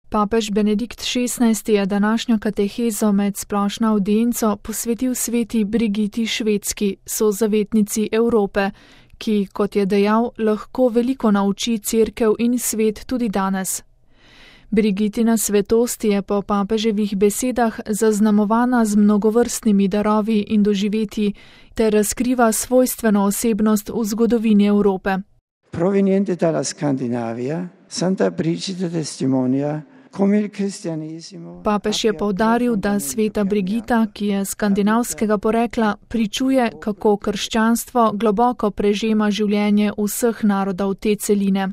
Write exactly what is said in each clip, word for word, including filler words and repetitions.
Papež Benedikt šestnajsti je današnjo katehezo med splošno avdienco posvetil sveti Brigiti Švedski, sozavetnici Evrope, ki, kot je dejal, lahko veliko nauči cerkev in svet tudi danes. Brigitina svetost je po papeževih besedah zaznamovana z mnogovrstnimi darovi in doživetji ter razkriva svojstveno osebnost v zgodovini Evrope. Proveniente dalla Scandinavia, Santa Brigida testimonia come il cristianesimo. Papež je poudaril, da sveta Brigita, ki je skandinavskega porekla, pričuje, kako krščanstvo globoko prežema življenje vseh narodov te celine.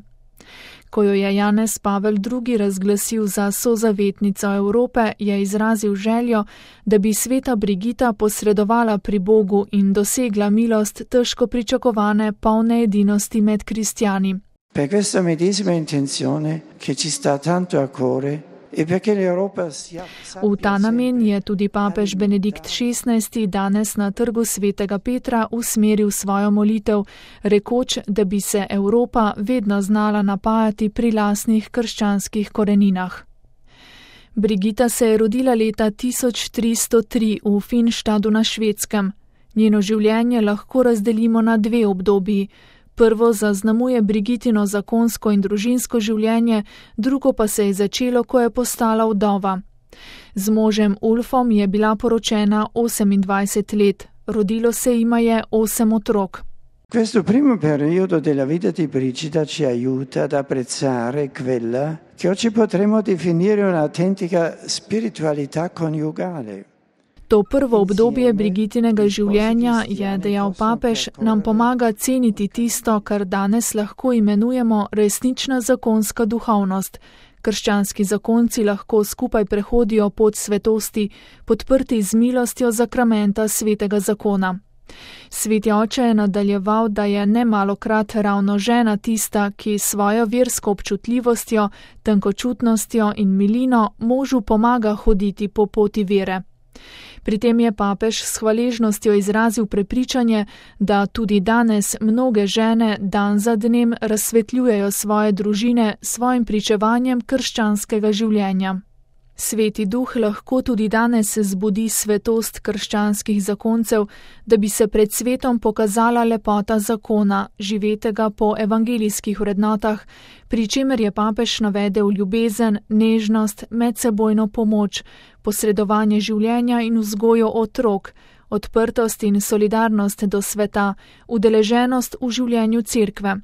Ko jo je Janez Pavel drugi razglasil za sozavetnico Evrope, je izrazil željo, da bi sveta Brigita posredovala pri Bogu in dosegla milost težko pričakovane polne edinosti med kristjani. Per questa medesima intenzione che ci sta tanto a cuore e perché l'Europa sia V ta namen je tudi papež Benedikt šestnajsti danes na trgu svetega Petra usmeril svojo molitev, rekoč, da bi se Evropa vedno znala napajati pri lastnih krščanskih koreninah. Brigita se je rodila leta tisoč tristo tri v Finštadu na Švedskem. Njeno življenje lahko razdelimo na dve obdobji. Prvo zaznamuje Brigitino zakonsko in družinsko življenje, drugo pa se je začelo, ko je postala vdova. Z možem Ulfom je bila poročena osemindvajset let, rodilo se jima je osem otrok. Questo primo periodo della vita di Brigida ci aiuta ad apprezzare quella che oggi potremmo definire un'autentica spiritualità coniugale. To prvo obdobje Brigitinega življenja, je dejal papež, nam pomaga ceniti tisto, kar danes lahko imenujemo resnična zakonska duhovnost. Krščanski zakonci lahko skupaj prehodijo pot svetosti, podprti z milostjo zakramenta svetega zakona. Sveti oče je nadaljeval, da je nemalokrat ravno žena tista, ki svojo versko občutljivostjo, tenkočutnostjo in milino možu pomaga hoditi po poti vere. Pri tem je papež s hvaležnostjo izrazil prepričanje, da tudi danes mnoge žene dan za dnem razsvetljujejo svoje družine s svojim pričevanjem krščanskega življenja. Sveti duh lahko tudi danes zbudi svetost krščanskih zakoncev, da bi se pred svetom pokazala lepota zakona, živetega po evangelijskih vrednotah, pri čemer je papež navedel ljubezen, nežnost, medsebojno pomoč, posredovanje življenja in vzgojo otrok, odprtost in solidarnost do sveta, udeleženost v življenju cerkve.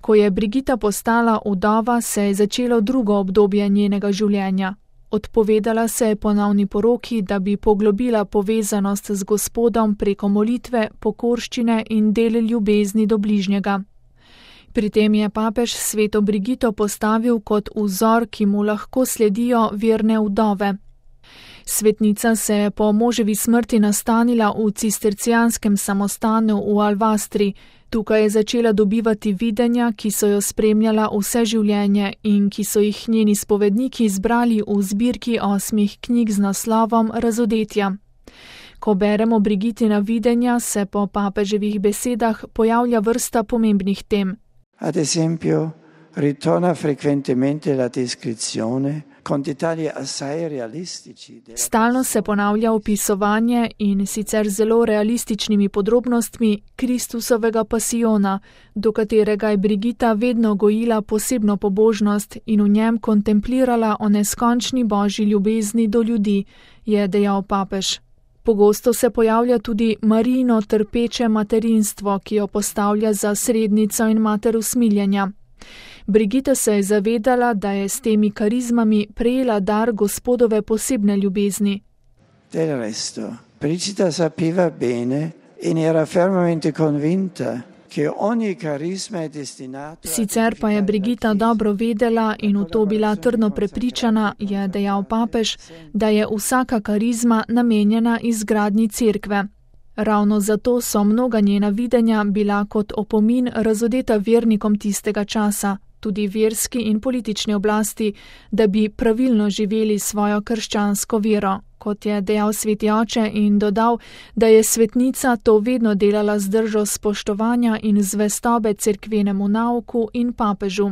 Ko je Brigita postala vdova, se je začelo drugo obdobje njenega življenja. Odpovedala se je ponovni poroki, da bi poglobila povezanost z Gospodom preko molitve, pokorščine in del ljubezni do bližnjega. Pri tem je papež sveto Brigito postavil kot vzor, ki mu lahko sledijo verne vdove. Svetnica se je po moževi smrti nastanila v cistercijanskem samostanu v Alvastri. Tukaj je začela dobivati videnja, ki so jo spremljala vse življenje in ki so jih njeni spovedniki zbrali v zbirki osmih knjig z naslovom Razodetja. Ko beremo Brigitina videnja, se po papeževih besedah pojavlja vrsta pomembnih tem. Ad esempio, ritorna frequentemente la descrizione con dettagli assai realistici. Stalno se ponavlja opisovanje in sicer zelo realističnimi podrobnostmi Kristusovega pasijona, do katerega je Brigita vedno gojila posebno pobožnost in v njem kontemplirala o neskončni božji ljubezni do ljudi, je dejal papež. Pogosto se pojavlja tudi Marijino trpeče materinstvo, ki jo postavlja za srednico in mater usmiljenja. Brigita se je zavedala, da je s temi karizmami prejela dar Gospodove posebne ljubezni. Del resto, Brigida sapeva bene in era fermamente convinta che ogni carisma è destinato. Sicer pa je Brigita dobro vedela in v to bila trdno prepričana, je dejal papež, da je vsaka karizma namenjena izgradnji cerkve. Ravno zato so mnoga njena videnja bila kot opomin razodeta vernikom tistega časa, tudi verski in politični oblasti, da bi pravilno živeli svojo krščansko vero, kot je dejal sveti oče in dodal, da je svetnica to vedno delala z držo spoštovanja in zvestobe cerkvenemu nauku in papežu.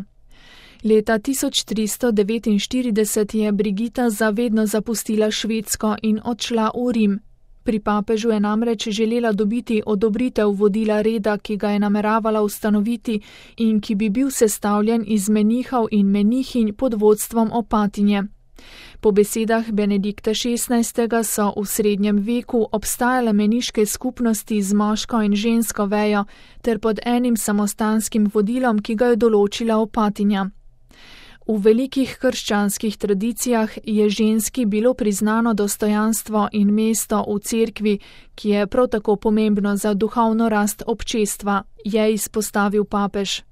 Leta tisoč tristo devetinštirideset je Brigita zavedno zapustila Švedsko in odšla v Rim. Pri papežu je namreč želela dobiti odobritev vodila reda, ki ga je nameravala ustanoviti in ki bi bil sestavljen iz menihov in menihinj pod vodstvom opatinje. Po besedah Benedikta šestnajstega so v srednjem veku obstajale meniške skupnosti z moško in žensko vejo ter pod enim samostanskim vodilom, ki ga je določila opatinja. V velikih krščanskih tradicijah je ženski bilo priznano dostojanstvo in mesto v cerkvi, ki je prav tako pomembno za duhovno rast občestva, je izpostavil papež.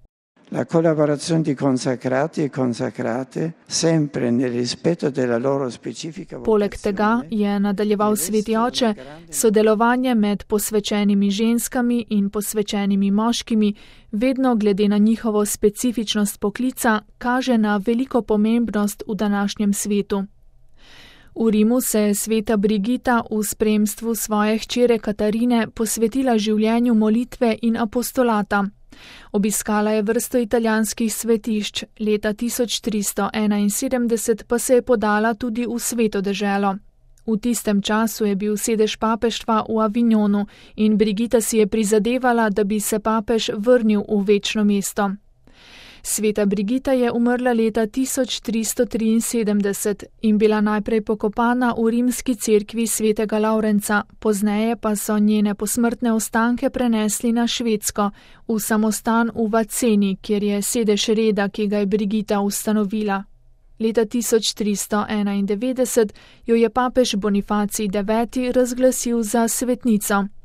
La collaborazione di consacrati e consacrate sempre nel rispetto della loro specifica vocazione. Poleg tega je nadaljeval sveti oče, sodelovanje med posvečenimi ženskami in posvečenimi moškimi, vedno glede na njihovo specifičnost poklica, kaže na veliko pomembnost v današnjem svetu. V Rimu se je sveta Brigita v spremstvu svoje hčere Katarine posvetila življenju molitve in apostolata. Obiskala je vrsto italijanskih svetišč, leta tisoč tristo enainsedemdeset pa se je podala tudi v Sveto deželo. V tistem času je bil sedež papeštva v Avignonu in Brigita si je prizadevala, da bi se papež vrnil v večno mesto. Sveta Brigita je umrla leta tisoč tristo triinsedemdeset in bila najprej pokopana v rimski cerkvi svetega Lavrenca, pozneje pa so njene posmrtne ostanke prenesli na Švedsko, v samostan v Vaceni, kjer je sedež reda, ki ga je Brigita ustanovila. Leta tisoč tristo enaindevetdeset jo je papež Bonifacij deveti razglasil za svetnico.